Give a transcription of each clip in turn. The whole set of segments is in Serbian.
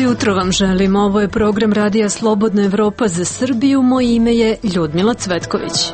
jutro vam želim. Ovo je program Radija Slobodna Evropa za Srbiju. Moje ime je Ljudmila Cvetković.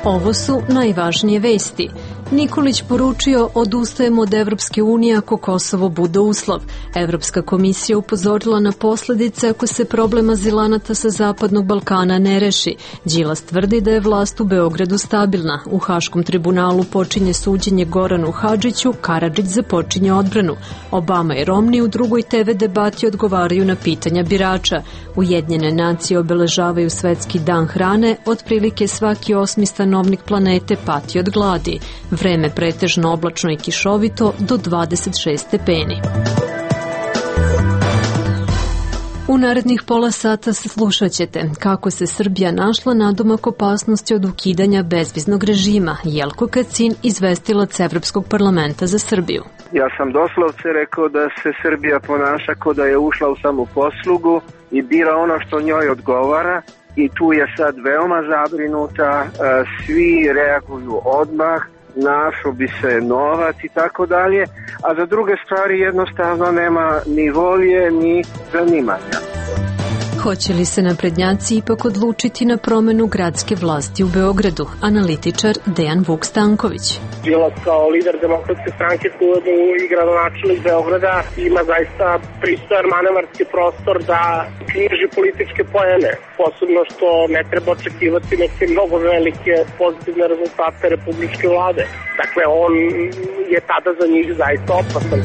Ovo su najvažnije vesti. Nikolić poručio odustajemo od Evropske unije ako Kosovo bude uslov. Evropska komisija upozorila na posledice ako se problem azilanata sa Zapadnog Balkana ne reši. Đilas tvrdi da je vlast u Beogradu stabilna. U Haškom tribunalu počinje suđenje Goranu Hadžiću, Karadžić započinje odbranu. Obama i Romney u drugoj TV debati odgovaraju na pitanja birača. Ujedinjene nacije obeležavaju Svetski dan hrane, otprilike svaki 8. stanovnik planete pati od gladi. Vreme pretežno oblačno i kišovito do 26 stepeni. U narednih pola sata slušat ćete kako se Srbija našla nadomak opasnosti od ukidanja bezviznog režima. Jelko Kacin, izvestilac Evropskog parlamenta za Srbiju. Ja sam doslovce rekao da se Srbija ponaša kao da je ušla u samoposlugu i bira ono što njoj odgovara. I tu je sad veoma zabrinuta, svi reaguju odmah, našao bi se novac i tako dalje, a za druge stvari jednostavno nema ni volje ni zanimanja. Hoće li se naprednjaci ipak odlučiti na promenu gradske vlasti u Beogradu? Analitičar Dejan Vuk Stanković. Đilas kao lider Demokratske stranke i gradonačelnik Beograda ima zaista pristojan manevarski prostor da knjiži političke poene, posebno što ne treba očekivati neke mnogo velike pozitivne rezultate republičke vlade. Dakle, on je tada za njih zaista opasan.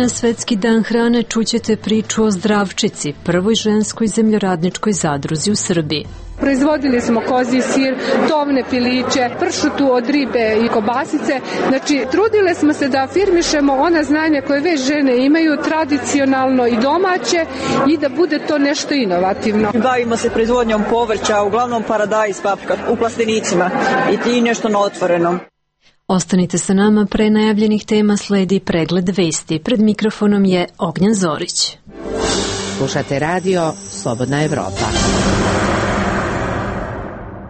Na Svetski dan hrane čućete priču o Zdravčici, prvoj ženskoj zemljoradničkoj zadruzi u Srbiji. Proizvodili smo kozji sir, tovne piliće, pršutu od ribe i kobasice. Znači, trudile smo se da afirmišemo ona znanja koje već žene imaju, tradicionalno i domaće, i da bude to nešto inovativno. Bavimo se proizvodnjom povrća, uglavnom paradajz, paprika, u plastenicima i nešto na otvorenom. Ostanite sa nama, pre najavljenih tema sledi pregled vesti. Pred mikrofonom je Ognjan Zorić. Slušate radio Slobodna Evropa.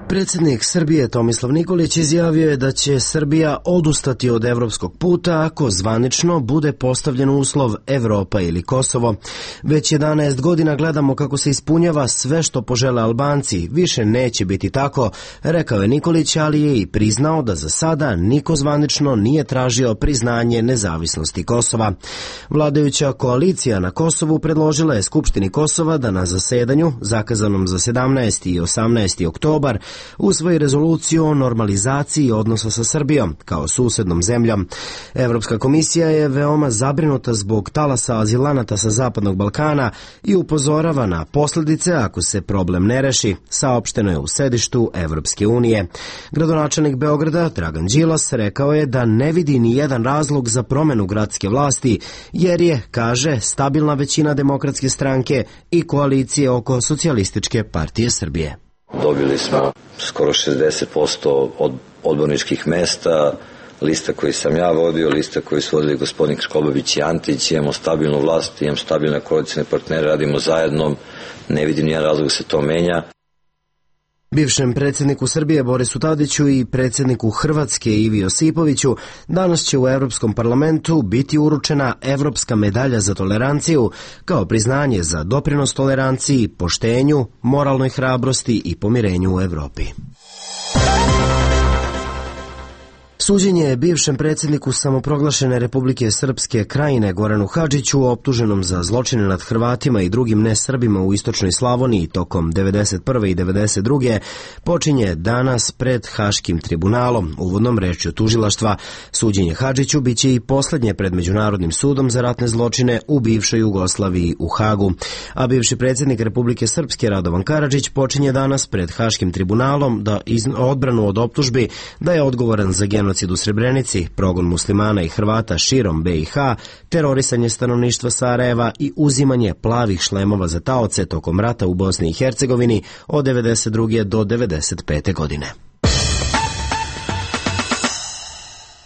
Predsjednik Srbije Tomislav Nikolić izjavio je da će Srbija odustati od evropskog puta ako zvanično bude postavljen uslov Evropa ili Kosovo. Već 11 godina gledamo kako se ispunjava sve što požele Albanci. Više neće biti tako, rekao je Nikolić, ali je i priznao da za sada niko zvanično nije tražio priznanje nezavisnosti Kosova. Vladajuća koalicija na Kosovu predložila je Skupštini Kosova da na zasedanju, zakazanom za 17. i 18. oktobar, usvoji rezoluciju o normalizaciji odnosa sa Srbijom kao susednom zemljom. Evropska komisija je veoma zabrinuta zbog talasa azilanata sa Zapadnog Balkana i upozorava na posljedice ako se problem ne reši, saopšteno je u sedištu Evropske unije. Gradonačelnik Beograda Dragan Đilas rekao je da ne vidi ni jedan razlog za promenu gradske vlasti, jer je, kaže, stabilna većina Demokratske stranke i koalicije oko Socijalističke partije Srbije. Dobili smo skoro 60% od odborničkih mesta, lista koju sam ja vodio, lista koju su vodili gospodin Škobović i Antić, imamo stabilnu vlast, imamo stabilne koalicijne partnere, radimo zajedno, ne vidim nijedan razlog da se to menja. Bivšem predsjedniku Srbije Borisu Tadiću i predsjedniku Hrvatske Ivi Josipoviću danas će u Europskom parlamentu biti uručena Evropska medalja za toleranciju kao priznanje za doprinos toleranciji, poštenju, moralnoj hrabrosti i pomirenju u Evropi. Suđenje je bivšem predsjedniku samoproglašene Republike Srpske Krajine Goranu Hadžiću, optuženom za zločine nad Hrvatima i drugim nesrbima u istočnoj Slavoniji tokom 1991. i 1992. počinje danas pred Haškim tribunalom. Uvodnom rečju tužilaštva, suđenje Hadžiću biće i posljednje pred Međunarodnim sudom za ratne zločine u bivšoj Jugoslaviji u Hagu. A bivši predsjednik Republike Srpske Radovan Karadžić počinje danas pred Haškim tribunalom da odbranu od optužbi da je odgovoran za genocid u Srebrenici, progon muslimana i Hrvata širom BiH, terorisanje stanovništva Sarajeva i uzimanje plavih šlemova za taoce tokom rata u Bosni i Hercegovini od 1992. do 1995. godine.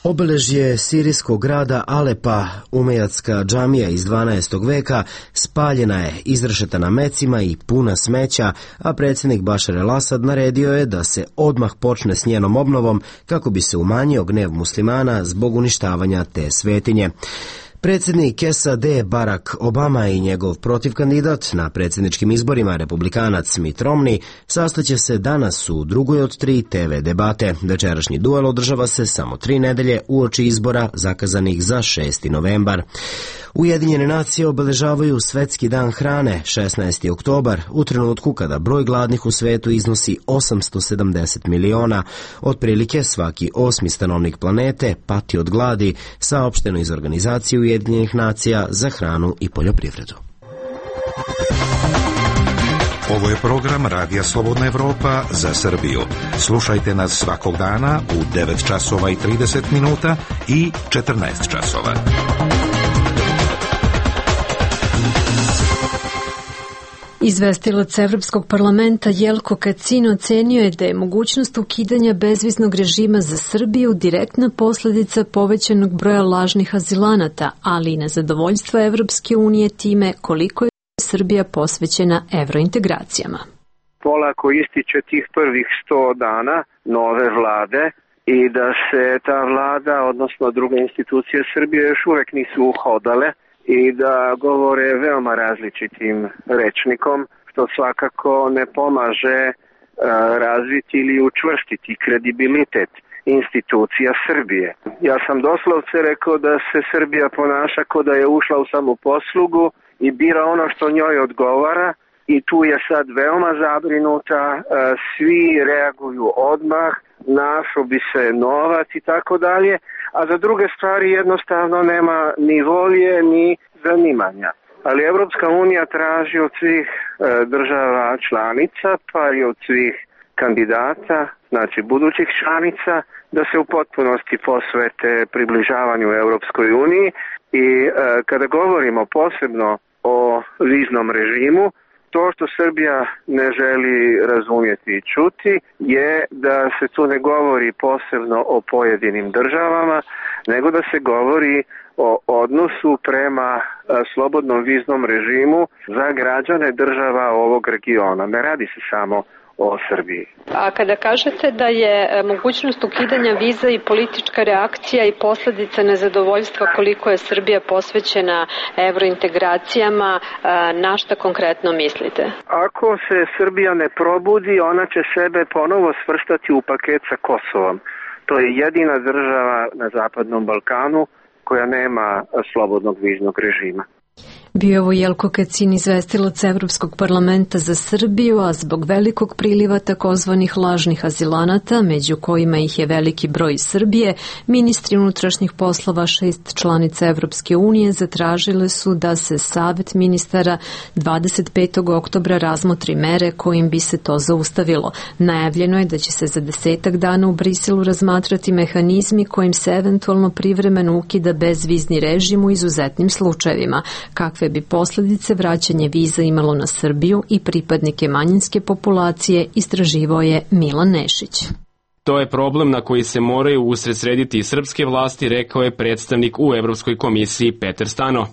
Obeležje sirijskog grada Alepa, umejatska džamija iz 12. veka, spaljena je, izrešetana mecima i puna smeća, a predsjednik Bašar el-Asad naredio je da se odmah počne s njenom obnovom kako bi se umanjio gnev muslimana zbog uništavanja te svetinje. Predsjednik SAD Barack Obama i njegov protivkandidat na predsjedničkim izborima, republikanac Mitt Romney, sastaće se danas u drugoj od 3 TV debate. Večerašnji duel održava se samo 3 nedelje uoči izbora zakazanih za 6. novembar. Ujedinjene nacije obeležavaju Svetski dan hrane 16. oktobar u trenutku kada broj gladnih u svetu iznosi 870 miliona. Otprilike svaki 8. stanovnik planete pati od gladi, saopšteno iz Organizacije Ujedinjenih nacija za hranu i poljoprivredu. Ovo je program Radija Slobodna Evropa za Srbiju. Slušajte nas svakog dana u 9 časova i 30 minuta i 14 časova. Izvestilac Evropskog parlamenta Jelko Kacin ocenio je da je mogućnost ukidanja bezviznog režima za Srbiju direktna posljedica povećanog broja lažnih azilanata, ali i nezadovoljstva Evropske unije time koliko je Srbija posvećena evrointegracijama. Polako ističe tih prvih 100 dana nove vlade i da se ta vlada, odnosno druge institucije Srbije još uvek nisu uhodale i da govore veoma različitim rečnikom, što svakako ne pomaže razviti ili učvrstiti kredibilitet institucija Srbije. Ja sam doslovce rekao da se Srbija ponaša kao da je ušla u samoposlugu i bira ono što njoj odgovara i tu je sad veoma zabrinuta, svi reaguju odmah, našo bi se novac i tako dalje, a za druge stvari jednostavno nema ni volje ni zanimanja. Ali Evropska unija traži od svih država članica, pa i od svih kandidata, znači budućih članica, da se u potpunosti posvete približavanju Evropskoj uniji i kada govorimo posebno o viznom režimu, to što Srbija ne želi razumjeti i čuti je da se tu ne govori posebno o pojedinim državama, nego da se govori o odnosu prema slobodnom viznom režimu za građane država ovog regiona. Ne radi se samo o Srbiji. A kada kažete da je mogućnost ukidanja viza i politička reakcija i posljedica nezadovoljstva koliko je Srbija posvećena evrointegracijama, na šta konkretno mislite? Ako se Srbija ne probudi, ona će sebe ponovo svrstati u paket sa Kosovom. To je jedina država na Zapadnom Balkanu koja nema slobodnog viznog režima. Bio je ovo Jelko Kacin, izvestilac Evropskog parlamenta za Srbiju, a zbog velikog priliva takozvanih lažnih azilanata, među kojima ih je veliki broj Srbije, ministri unutrašnjih poslova 6 članica Evropske unije zatražile su da se Savet ministara 25. oktobra razmotri mere kojim bi se to zaustavilo. Najavljeno je da će se za 10 dana u Briselu razmatrati mehanizmi kojim se eventualno privremeno ukida bezvizni režim u izuzetnim slučajevima. Kakve bi posljedice vraćanje viza imalo na Srbiju i pripadnike manjinske populacije, istraživao je Milan Nešić. To je problem na koji se moraju usredsrediti i srpske vlasti, rekao je predstavnik u Evropskoj komisiji Peter Stano.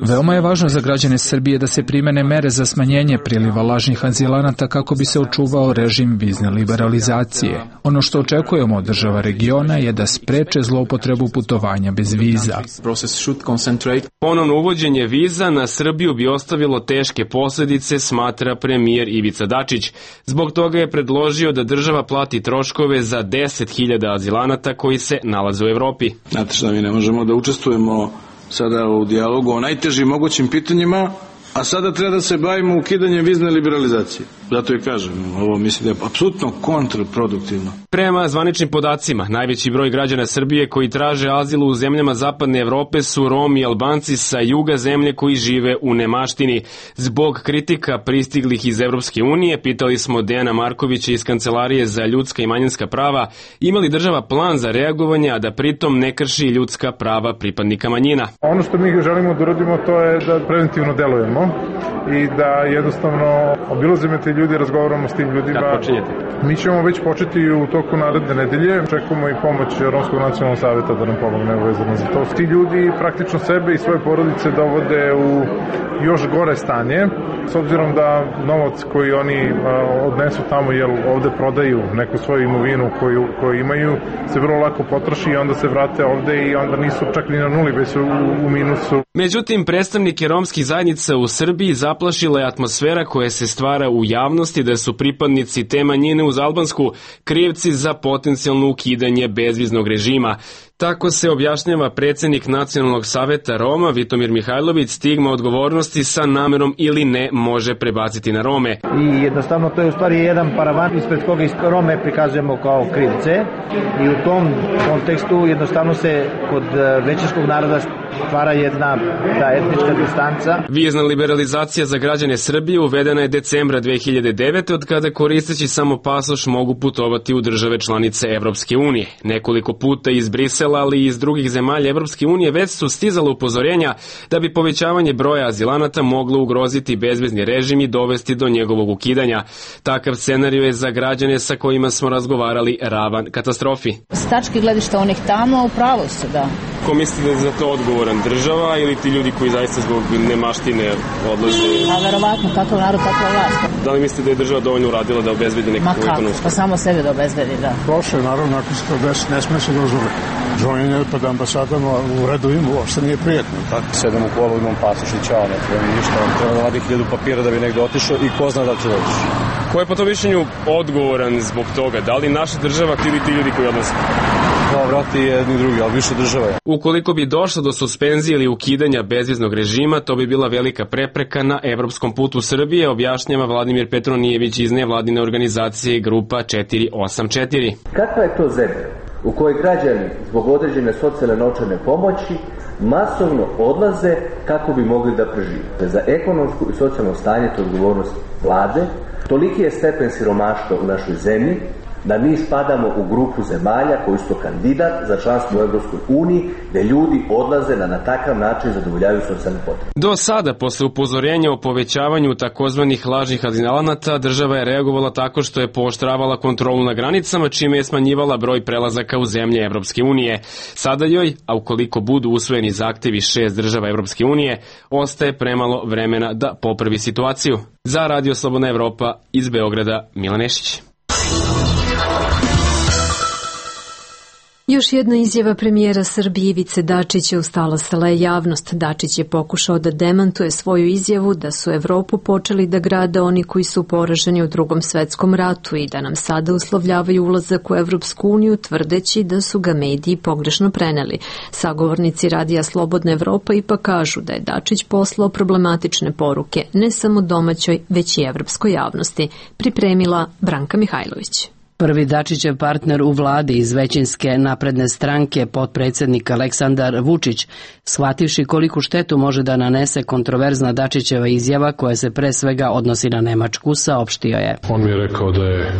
Veoma je važno za građane Srbije da se primene mere za smanjenje priliva lažnih azilanata kako bi se očuvao režim vizne liberalizacije. Ono što očekujemo od država regiona je da spreče zloupotrebu putovanja bez viza. Ponovno uvođenje viza na Srbiju bi ostavilo teške posljedice, smatra premijer Ivica Dačić. Zbog toga je predložio da država plati troškove za 10.000 azilanata koji se nalaze u Evropi. Znate šta, mi ne možemo da učestvujemo sada u dijalogu o najtežim mogućim pitanjima, a sada treba da se bavimo ukidanjem vizne liberalizacije. Zato i kažem, ovo mislim da je apsolutno kontraproduktivno. Prema zvaničnim podacima, najveći broj građana Srbije koji traže azil u zemljama Zapadne Evrope su Romi i Albanci sa juga zemlje koji žive u nemaštini. Zbog kritika pristiglih iz Evropske unije, pitali smo Dejana Markovića iz Kancelarije za ljudska i manjinska prava, ima li država plan za reagovanje, a da pritom ne krši ljudska prava pripadnika manjina. Ono što mi želimo da uradimo to je da preventivno delujemo tamo i da jednostavno obilazimo te ljudi, razgovaramo s tim ljudima. Kad počinjete? Mi ćemo već početi u toku naredne nedelje. Čekamo i pomoć Romskog nacionalnog saveta da nam pomogne vezano za to. Ti ljudi praktično sebe i svoje porodice dovode u još gore stanje, s obzirom da novac koji oni odnesu tamo, jer ovde prodaju neku svoju imovinu koju imaju, se vrlo lako potroši i onda se vrate ovde i onda nisu čak ni na nuli, već su u minusu. Međutim, predstavnike romskih zajednica u Srbiji zaplašila je atmosfera koja se stvara u javnosti da su pripadnici te manjine uz albansku krivci za potencijalno ukidanje bezviznog režima. Tako se objašnjava predsednik Nacionalnog saveta Roma Vitomir Mihajlović, stigma odgovornosti sa namerom ili ne može prebaciti na Rome. I jednostavno to je u stvari jedan paravan ispred koga Rome prikazujemo kao krivce i u tom kontekstu jednostavno se kod većinskog naroda stvara jedna ta etnička distanca. Vizna liberalizacija za građane Srbije uvedena je decembra 2009. od kada koristeći samo pasoš mogu putovati u države članice Evropske unije. Nekoliko puta iz Brisela, ali i iz drugih zemalja Evropske unije već su stizala upozorenja da bi povećavanje broja azilanata moglo ugroziti bezvizni režim i dovesti do njegovog ukidanja. Takav scenario je za građane sa kojima smo razgovarali ravan katastrofi. S tačke gledišta onih tamo, upravo su, da. Ko mislite da je za to odgovoran, država ili ti ljudi koji zaista zbog nemaštine odlaze? A verovatno, kakav narod, takva vlast. Da li mislite da je država dovoljno uradila da obezbedi nekakvu ekonomsku? Pa samo sebe da obezbedi, da. Prošlo je, naravno, ako se to desi, ne sme se dozvoli. Džonjenje pred ambasadama u redovima uopšte nije prijetno. Tako, sedem u kolu, imam pasoš i čao, ne treba mi ništa. Treba da vadi 1000 papira da bi negde otišao i ko zna da će doći. Ko je po to mišljenju odgovoran zbog toga? Da li naša država ili ti ljudi koji odlaze? Da, vrati jedni drugi, ali više država je. Ukoliko bi došlo do suspenzije ili ukidanja bezviznog režima, to bi bila velika prepreka na evropskom putu Srbije, objašnjava Vladimir Petronijević iz nevladine organizacije Grupa 484. Kakva je to zemlja u kojoj građani zbog određene socijalne novčane pomoći masovno odlaze kako bi mogli da prežive? Za ekonomsku i socijalno stanje to odgovornost vlade. Toliki je stepen siromaštva u našoj zemlji da mi spadamo u grupu zemalja koji su kandidat za članstvo u Evropskoj uniji, gde ljudi odlaze da na takav način zadovoljavaju socijalne potrebe. Do sada, posle upozorenja o povećavanju takozvanih lažnih azilanata, država je reagovala tako što je pooštravala kontrolu na granicama, čime je smanjivala broj prelazaka u zemlje Evropske unije. Sada joj, a ukoliko budu usvojeni zahtevi 6 država Evropske unije, ostaje premalo vremena da popravi situaciju. Za Radio Slobodna Evropa iz Beograda, Milan Nešić. Još jedna izjava premijera Srbije Ivice Dačića ustalasala je javnost. Dačić je pokušao da demantuje svoju izjavu da su Evropu počeli da grade oni koji su poraženi u Drugom svetskom ratu i da nam sada uslovljavaju ulazak u Evropsku uniju, tvrdeći da su ga mediji pogrešno preneli. Sagovornici Radija Slobodna Evropa ipak kažu da je Dačić poslao problematične poruke ne samo domaćoj, već i evropskoj javnosti. Pripremila Branka Mihajlović. Prvi Dačićev partner u vladi iz većinske napredne stranke, potpredsednik Aleksandar Vučić, shvativši koliku štetu može da nanese kontroverzna Dačićeva izjava koja se pre svega odnosi na Nemačku, saopštio je. On mi je rekao da je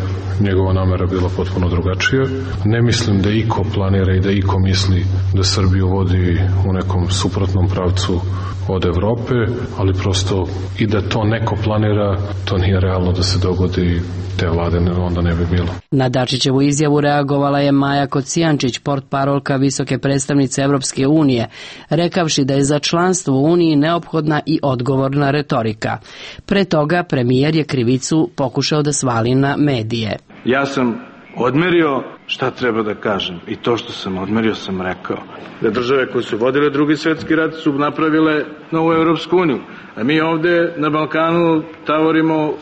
njegova namera bila potpuno drugačija. Ne mislim da iko planira i da iko misli da Srbiju vodi u nekom suprotnom pravcu od Evrope, ali prosto i da to neko planira, to nije realno da se dogodi, te vlade onda ne bi bilo. Na Dačićevu izjavu reagovala je Maja Kocijančić, portparolka visoke predstavnice Evropske unije, rekavši da je za članstvo u Uniji neophodna i odgovorna retorika. Pre toga premijer je krivicu pokušao da svali na medije. Ja sam odmerio šta treba da kažem i to što sam odmerio sam rekao. Da države koje su vodile Drugi svetski rat su napravile novu Evropsku uniju, a mi ovde na Balkanu tavorimo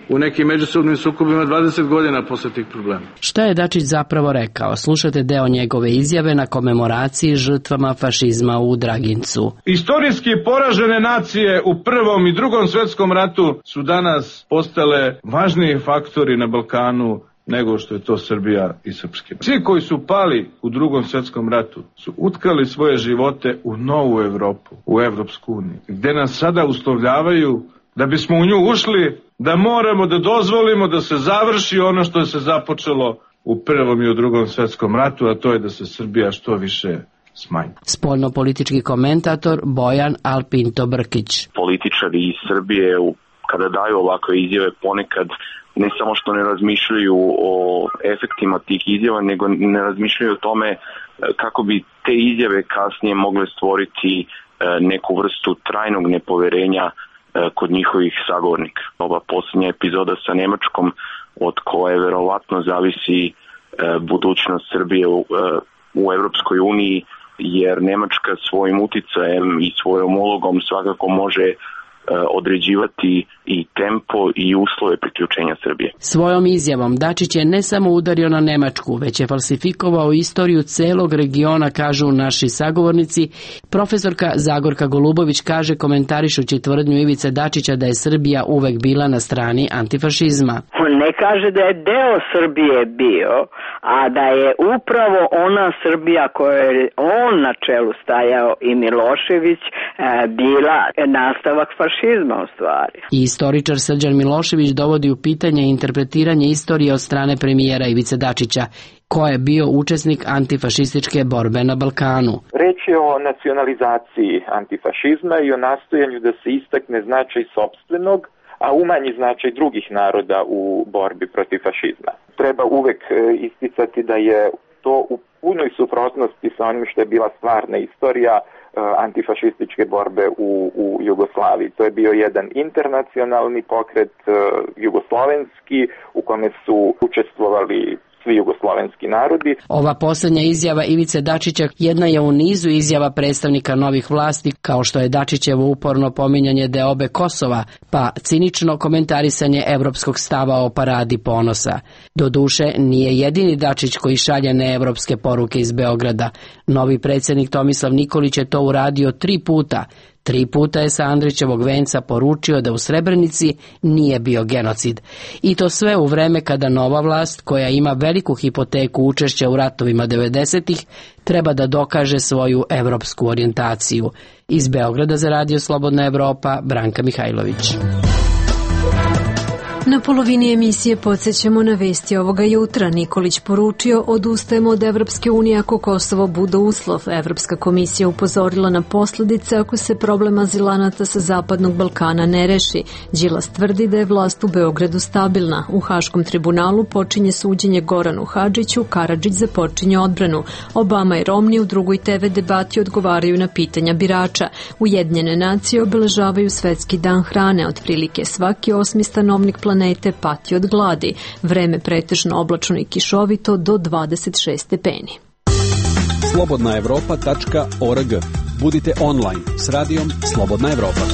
u nekim međusobnim sukobima 20 godina posle tih problema. Šta je Dačić zapravo rekao? Slušajte deo njegove izjave na komemoraciji žrtvama fašizma u Dragincu. Istorijski poražene nacije u Prvom i Drugom svetskom ratu su danas postale važniji faktori na Balkanu nego što je to Srbija i Srpske. Svi koji su pali u Drugom svetskom ratu su utkali svoje živote u novu Evropu, u Evropsku uniju, gde nas sada uslovljavaju da bismo u nju ušli, da moramo da dozvolimo da se završi ono što se započelo u Prvom i u Drugom svetskom ratu, a to je da se Srbija što više smanji. Spoljnopolitički komentator Bojan Alpinto Brkić. Političari iz Srbije kada daju ovakve izjave ponekad ne samo što ne razmišljaju o efektima tih izjava, nego ne razmišljaju o tome kako bi te izjave kasnije mogle stvoriti neku vrstu trajnog nepoverenja kod njihovih sagovornika. Ova posljednja epizoda sa Nemačkom, od koje verovatno zavisi budućnost Srbije u Evropskoj uniji, jer Nemačka svojim uticajem i svojom ulogom svakako može određivati i tempo i uslove priključenja Srbije. Svojom izjavom Dačić je ne samo udario na Nemačku, već je falsifikovao istoriju celog regiona, kažu naši sagovornici. Profesorka Zagorka Golubović kaže, komentarišući tvrdnju Ivice Dačića da je Srbija uvek bila na strani antifašizma. On ne kaže da je deo Srbije bio, a da je upravo ona Srbija koja je on na čelu stajao i Milošević bila nastavak fašizma u stvari. I istoričar Srđan Milošević dovodi u pitanje interpretiranje istorije od strane premijera Ivice Dačića, ko je bio učesnik antifašističke borbe na Balkanu. Reč je o nacionalizaciji antifašizma i o nastojanju da se istakne značaj sopstvenog, a umanji značaj drugih naroda u borbi protiv fašizma. Treba uvek isticati da je to u punoj suprotnosti sa onim što je bila stvarna istorija antifašističke borbe u Jugoslaviji. To je bio jedan internacionalni pokret jugoslovenski u kome su učestvovali svi jugoslovenski narodi. Ova posljednja izjava Ivice Dačića jedna je u nizu izjava predstavnika novih vlasti, kao što je Dačićevo uporno pominjanje deobe Kosova, pa cinično komentarisanje evropskog stava o paradi ponosa. Doduše, nije jedini Dačić koji šalje neevropske poruke iz Beograda. Novi predsjednik Tomislav Nikolić je to uradio 3 puta. 3 puta je sa Andrićevog venca poručio da u Srebrenici nije bio genocid. I to sve u vreme kada nova vlast, koja ima veliku hipoteku učešća u ratovima 90-ih, treba da dokaže svoju evropsku orijentaciju. Iz Beograda za Radio Slobodna Evropa, Branka Mihajlović. Na polovini emisije podsjećamo na vesti ovoga jutra. Nikolić poručio, odustajemo od Evropske unije ako Kosovo bude uslov. Evropska komisija upozorila na posljedice ako se problem azilanata sa Zapadnog Balkana ne reši. Đilas tvrdi da je vlast u Beogradu stabilna. U Haškom tribunalu počinje suđenje Goranu Hadžiću, Karadžić započinje odbranu. Obama i Romney u drugoj TV debati odgovaraju na pitanja birača. Ujedinjene nacije obeležavaju Svetski dan hrane. Otprilike svaki 8. stanovnik planete pati od gladi. Vreme pretežno oblačno i kišovito do 26 stepeni. slobodnaevropa.org. Budite online s radijom Slobodna Evropa.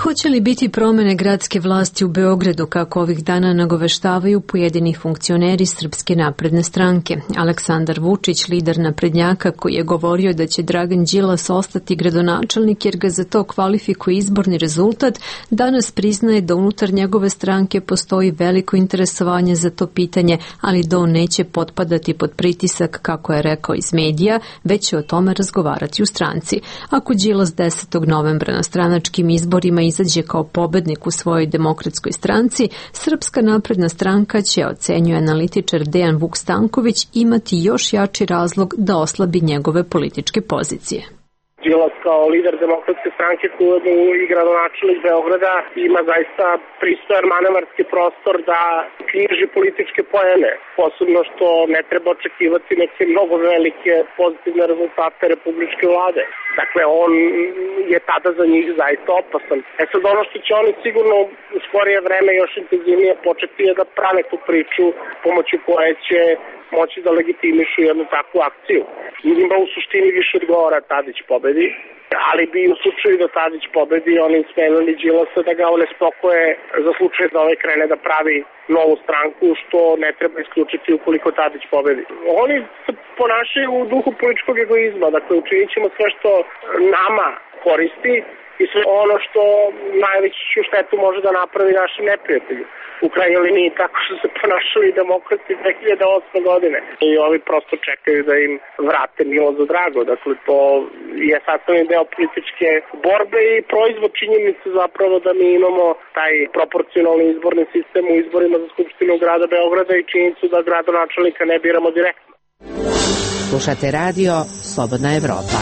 Hoće li biti promjene gradske vlasti u Beogradu, kako ovih dana nagoveštavaju pojedini funkcioneri Srpske napredne stranke? Aleksandar Vučić, lider naprednjaka, koji je govorio da će Dragan Đilas ostati gradonačelnik jer ga za to kvalifikuje izborni rezultat, danas priznaje da unutar njegove stranke postoji veliko interesovanje za to pitanje, ali da on neće potpadati pod pritisak, kako je rekao iz medija, već će o tome razgovarati u stranci. Ako Đilas 10. novembra na stranačkim izborima izađe kao pobednik u svojoj demokratskoj stranci, Srpska napredna stranka će, ocenjuje analitičar Dejan Vuk Stanković, imati još jači razlog da oslabi njegove političke pozicije. Đilas kao lider demokratske stranke i gradonačelnik Beograda ima zaista pristojan manevarski prostor da knjiži političke poene, posebno što ne treba očekivati neke mnogo velike pozitivne rezultate republičke vlade. Dakle, on je tada za njih zaista opasan. Sad ono što će oni sigurno u skorije vreme još intenzivnije početi je da prave tu priču pomoću koje će moći da legitimišu jednu takvu akciju. Njima u suštini više odgovara Tadić pobedi, ali bi u slučaju da Tadić pobedi oni smenili Đilasa da ga one spokoje za slučaj da ovaj krene da pravi novu stranku, što ne treba isključiti ukoliko Tadić pobedi. Oni se ponašaju u duhu političkog egoizma, dakle učinit ćemo sve što nama koristi i sve ono što najveću štetu može da napravi našim neprijatelju. U krajnjoj liniji tako su se ponašali demokrati 2008. godine. I ovi prosto čekaju da im vrate milo za drago. Dakle, to je sastavni deo političke borbe i proizvod činjenice zapravo da mi imamo taj proporcionalni izborni sistem u izborima za Skupštinu grada Beograda i činjenicu da gradonačelnika ne biramo direktno. Slušate radio Slobodna Evropa.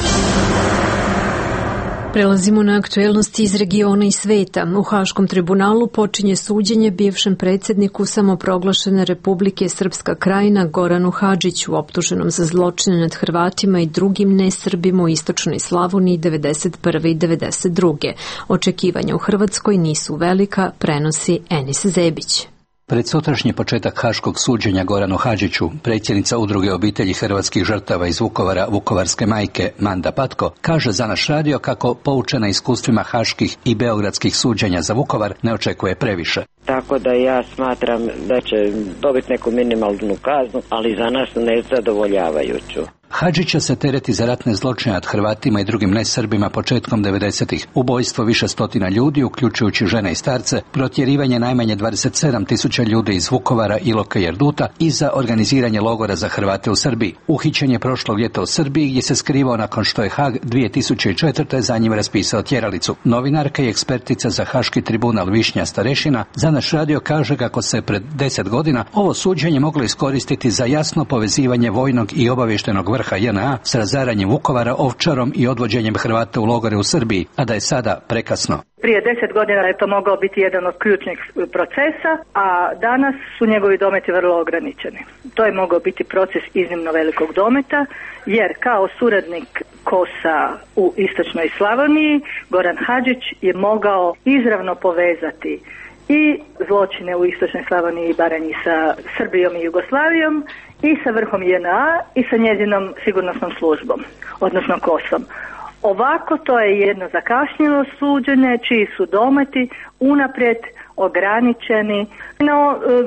Prelazimo na aktuelnosti iz regiona i sveta. U Haškom tribunalu počinje suđenje bivšem predsjedniku samoproglašene Republike Srpska Krajina Goranu Hadžiću, optuženom za zločine nad Hrvatima i drugim nesrbima u istočnoj Slavoniji 1991. i 1992. Očekivanja u Hrvatskoj nisu velika, prenosi Enis Zebić. Pred sutrašnji početak haškog suđenja Goranu Hadžiću, predsjednica Udruge obitelji hrvatskih žrtava iz Vukovara, Vukovarske majke, Manda Patko, kaže za naš radio kako, poučena iskustvima haških i beogradskih suđenja za Vukovar, ne očekuje previše. Tako da ja smatram da će dobiti neku minimalnu kaznu, ali za nas nezadovoljavajuću. Hadžića se tereti za ratne zločine nad Hrvatima i drugim nesrbima početkom 90-ih, ubojstvo više stotina ljudi, uključujući žene i starce, protjerivanje najmanje 27.000 ljudi iz Vukovara, Iloka i Erduta i za organiziranje logora za Hrvate u Srbiji. Uhićen je prošlog ljeta u Srbiji gdje se skrivao nakon što je Hag 2004. za njim raspisao tjeralicu. Novinarka i ekspertica za Haški tribunal Višnja Starešina za naš radio kaže kako se pred 10 godina ovo suđenje moglo iskoristiti za jasno povezivanje vojnog i obavještajnog vrha JNA s razaranjem Vukovara, Ovčarom i odvođenjem Hrvata u logore u Srbiji, a da je sada prekasno. Prije 10 godina je to mogao biti jedan od ključnih procesa, a danas su njegovi dometi vrlo ograničeni. To je mogao biti proces iznimno velikog dometa, jer kao suradnik KOS-a u istočnoj Slavoniji, Goran Hadžić je mogao izravno povezati i zločine u istočnoj Slavoniji i Baranji sa Srbijom i Jugoslavijom i sa vrhom JNA i sa njezinom sigurnosnom službom, odnosno KOS-om. Ovako to je jedno zakašnjelo suđenje čiji su dometi unaprijed ograničeni na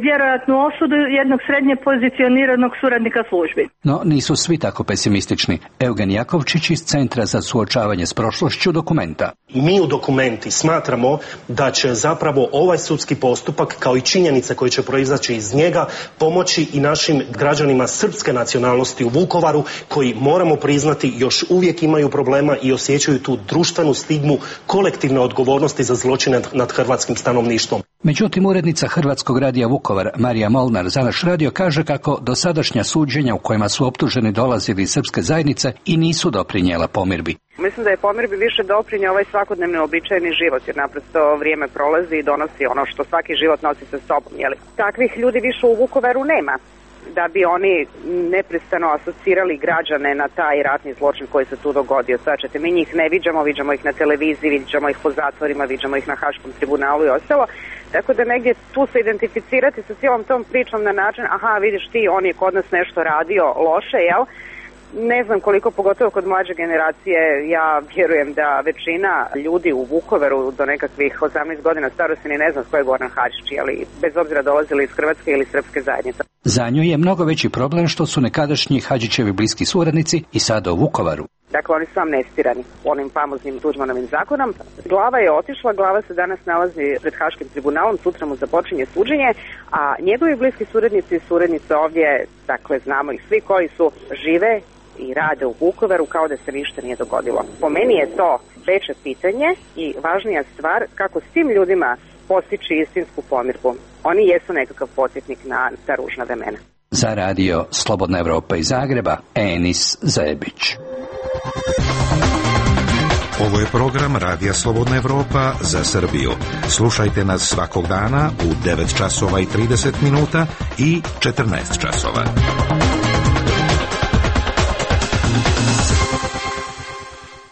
vjerojatnu osudu jednog srednje pozicioniranog suradnika službi. No nisu svi tako pesimistični. Eugen Jakovčić iz Centra za suočavanje s prošlošću Dokumenta. Mi u Dokumenti smatramo da će zapravo ovaj sudski postupak kao i činjenice koje će proizaći iz njega pomoći i našim građanima srpske nacionalnosti u Vukovaru koji, moramo priznati, još uvijek imaju problema i osjećaju tu društvenu stigmu kolektivne odgovornosti za zločine nad hrvatskim stanovništvom. Međutim, urednica Hrvatskog radija Vukovar Marija Molnar za naš radio kaže kako dosadašnja suđenja u kojima su optuženi dolazili iz srpske zajednice i nisu doprinijela pomirbi. Mislim da je pomirbi više doprinio ovaj svakodnevni običajni život, jer naprosto vrijeme prolazi i donosi ono što svaki život nosi sa sobom. Jeli? Takvih ljudi više u Vukovaru nema, da bi oni neprestano asocirali građane na taj ratni zločin koji se tu dogodio. Svačete, mi njih ne viđamo ih na televiziji, viđamo ih po zatvorima, viđamo ih na Haškom tribunalu i ostalo. Tako da negdje tu se identificirati sa cijelom tom pričom na način, aha, vidiš ti, on je kod nas nešto radio loše, jel? Ne znam koliko, pogotovo kod mlađe generacije, ja vjerujem da većina ljudi u Vukovaru do nekakvih 18 godina starosti ni ne znam ko je Goran Hadžić, ali bez obzira dolazili iz Hrvatske ili srpske zajednice. Za nju je mnogo veći problem što su nekadašnji Hadžićevi bliski suradnici i sada u Vukovaru. Dakle, oni su amnestirani onim famoznim Tuđmanovim zakonom. Glava je otišla, glava se danas nalazi pred Haškim tribunalom, sutra mu započinje suđenje, a njegovi bliski suradnici i suradnice ovdje, dakle, znamo ih svi koji su žive i rade u Vukovaru kao da se ništa nije dogodilo. Po meni je to veće pitanje i važnija stvar kako s tim ljudima postići istinsku pomirbu. Oni jesu nekakav podsjetnik na ta ružna vremena. Za radio Slobodna Evropa iz Zagreba, Enis Zebić. Ovo je program Radija Slobodna Evropa za Srbiju. Slušajte nas svakog dana u 9 časova i 30 minuta i 14 časova.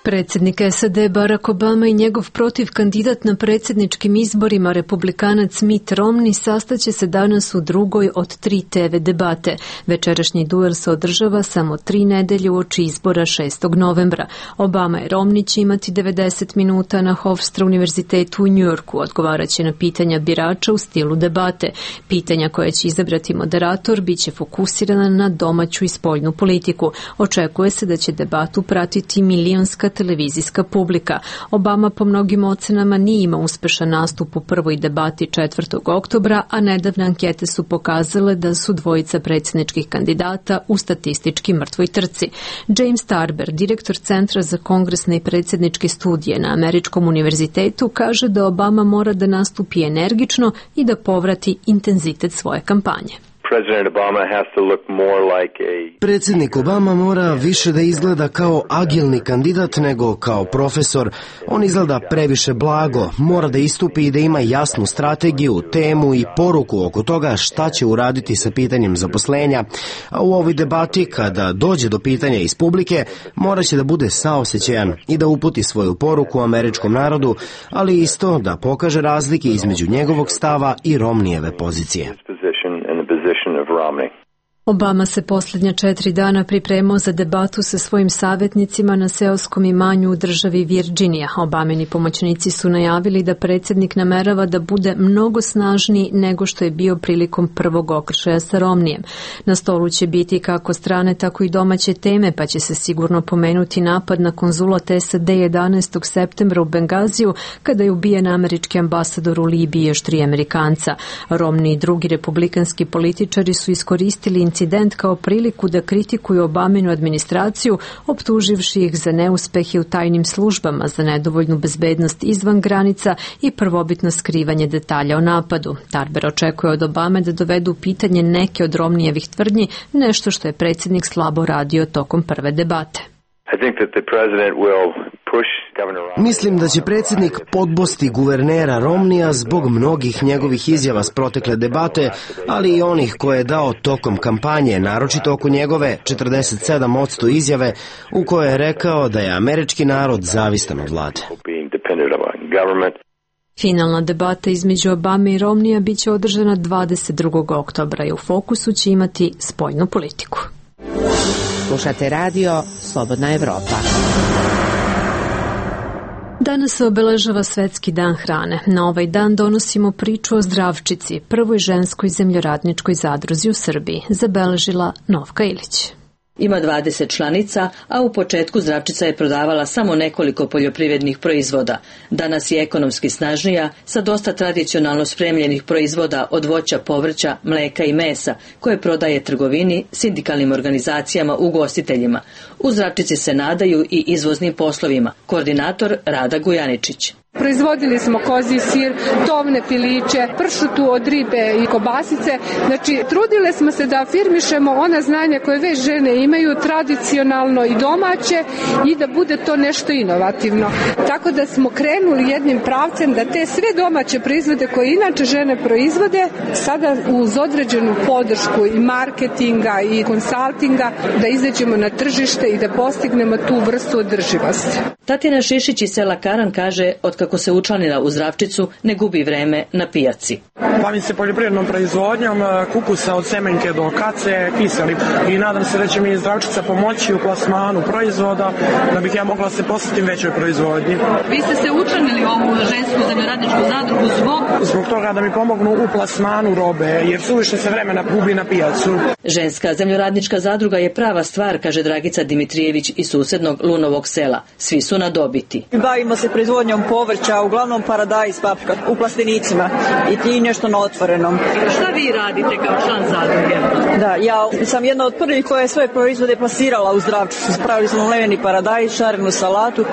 Predsjednik SAD Barack Obama i njegov protiv kandidat na predsjedničkim izborima republikanac Mitt Romney sastaće se danas u drugoj od 3 TV debate. Večerašnji duel se održava samo 3 nedelje uoči izbora 6. novembra. Obama i Romney će imati 90 minuta na Hofstra univerzitetu u Njujorku. Odgovarat će na pitanja birača u stilu debate. Pitanja koje će izabrati moderator bit će fokusirana na domaću i spoljnu politiku. Očekuje se da će debatu pratiti milionska televizijska publika. Obama po mnogim ocenama nije imao uspešan nastup u prvoj debati 4. oktobra, a nedavne ankete su pokazale da su dvojica predsjedničkih kandidata u statistički mrtvoj trci. James Tarber, direktor Centra za kongresne i predsjedničke studije na Američkom univerzitetu, kaže da Obama mora da nastupi energično i da povrati intenzitet svoje kampanje. Predsjednik Obama mora više da izgleda kao agilni kandidat nego kao profesor. On izgleda previše blago, mora da istupi i da ima jasnu strategiju, temu i poruku oko toga šta će uraditi sa pitanjem zaposlenja. A u ovoj debati, kada dođe do pitanja iz publike, moraće da bude saosećajan i da uputi svoju poruku američkom narodu, ali isto da pokaže razlike između njegovog stava i Romneyjeve pozicije. Obama se posljednja 4 dana pripremao za debatu sa svojim savjetnicima na seoskom imanju u državi Virginija. Obamini pomoćnici su najavili da predsjednik namerava da bude mnogo snažniji nego što je bio prilikom prvog okršaja sa Romnijem. Na stolu će biti kako strane, tako i domaće teme, pa će se sigurno pomenuti napad na konzulat SAD 11. septembra u Bengaziju, kada je ubijen američki ambasador u Libiji i još 3 Amerikanca. Romney i drugi republikanski političari su iskoristili incident kao priliku da kritikuju Obaminu administraciju, optuživši ih za neuspehe u tajnim službama, za nedovoljnu bezbednost izvan granica i prvobitno skrivanje detalja o napadu. Tarber očekuje od Obame da dovedu u pitanje neke od Romneyjevih tvrdnji, nešto što je predsjednik slabo radio tokom prve debate. Mislim da će predsjednik podbosti guvernera Romneya zbog mnogih njegovih izjava s protekle debate, ali i onih koje je dao tokom kampanje, naročito oko njegove 47% izjave u kojoj je rekao da je američki narod zavistan od vlade. Finalna debata između Obame i Romneya biće održana 22. oktobra i u fokusu će imati spoljnu politiku. Slušate radio Slobodna Evropa. Danas se obeležava Svetski dan hrane. Na ovaj dan donosimo priču o Zdravčici, prvoj ženskoj zemljoradničkoj zadruzi u Srbiji, zabeležila Novka Ilić. Ima 20 članica, a u početku Zdravčica je prodavala samo nekoliko poljoprivrednih proizvoda. Danas je ekonomski snažnija, sa dosta tradicionalno spremljenih proizvoda od voća, povrća, mleka i mesa, koje prodaje trgovini, sindikalnim organizacijama, ugostiteljima. U Zdravčici se nadaju i izvoznim poslovima. Koordinator Rada Gujaničić. Proizvodili smo kozji sir, tovne piliće, pršutu od ribe i kobasice. Znači, trudile smo se da afirmišemo ona znanja koje već žene imaju, tradicionalno i domaće, i da bude to nešto inovativno. Tako da smo krenuli jednim pravcem da te sve domaće proizvode koje inače žene proizvode, sada uz određenu podršku i marketinga i konsaltinga, da izađemo na tržište i da postignemo tu vrstu održivosti. Tatjana Šišić iz sela Karan kaže, otkako se učlanila u Zdravčicu, ne gubi vreme na pijaci. Bavim se poljoprivrednom proizvodnjom, kupusa od semenke do kace, kiseli, i nadam se da će mi Zdravčica pomoći u plasmanu proizvoda, da bih ja mogla se posvetiti većoj proizvodnji. Vi ste se učlanili u ovu žensku zemljoradničku zadrugu zbog toga da mi pomognu u plasmanu robe, jer suviše se vremena gubi na pijacu. Ženska zemljoradnička zadruga je prava stvar, kaže Dragica Dimitrijević iz susednog Lunovog sela. Svi su na dobiti. Bavimo se proizvodnjom povrća, uglavnom paradajz, paprika, u plastenicima i nešto na otvorenom. Šta vi radite kao član zadruge? Da, ja sam jedna od prvih koja je svoje proizvode plasirala u Zdravčicu. Spravili smo mleveni paradajz, šarenu salatu.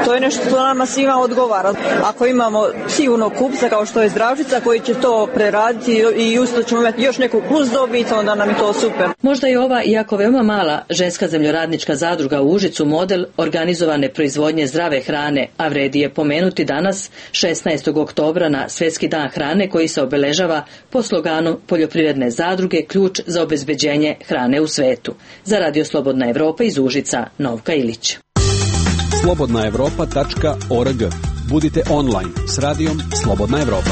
To je nešto što nama svima odgovara. Ako imamo sigurno kupca kao što je Zdravčica koji će to preraditi i usto ćemo imati još neku plus dobit, onda nam je to super. Možda je ova, iako veoma mala, ženska zemljoradnička zadruga u Užicu model organizovane proizvodnje zdrave hrane, a vredi je pomenuti danas 16. oktobra na Svetski dan hrane koji se obeležava po sloganu poljoprivredne zadruge ključ za obezbeđenje hrane u svetu. Za Radio Slobodna Evropa iz Užica, Novka Ilić. slobodnaevropa.org. Budite online s radijom Slobodna Evropa.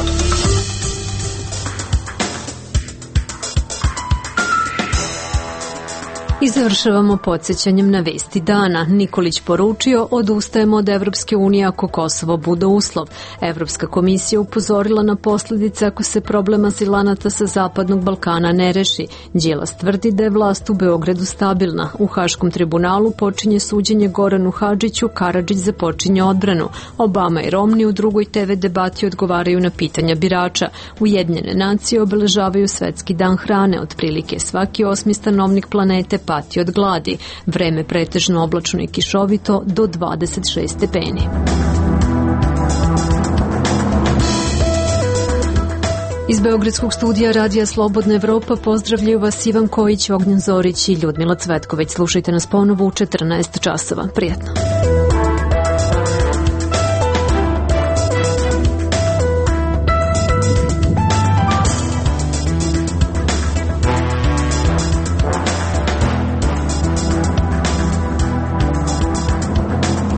I završavamo podsjećanjem na vesti dana. Nikolić poručio, odustajemo od Evropske unije ako Kosovo bude uslov. Evropska komisija upozorila na posljedice ako se problem azilanata sa Zapadnog Balkana ne reši. Đilas tvrdi da je vlast u Beogradu stabilna. U Haškom tribunalu počinje suđenje Goranu Hadžiću, Karadžić započinje odbranu. Obama i Romney u drugoj TV debati odgovaraju na pitanja birača. Ujedinjene nacije obeležavaju Svetski dan hrane. Otprilike svaki 8. stanovnik planete pati od gladi. Vreme pretežno oblačno i kišovito do 26 stepeni. Iz Beogradskog studija Radija Slobodna Evropa pozdravljaju vas Ivan Kojić, Ognjen Zorić i Ljudmila Cvetković. Slušajte nas ponovo u 14 časova. Prijetno.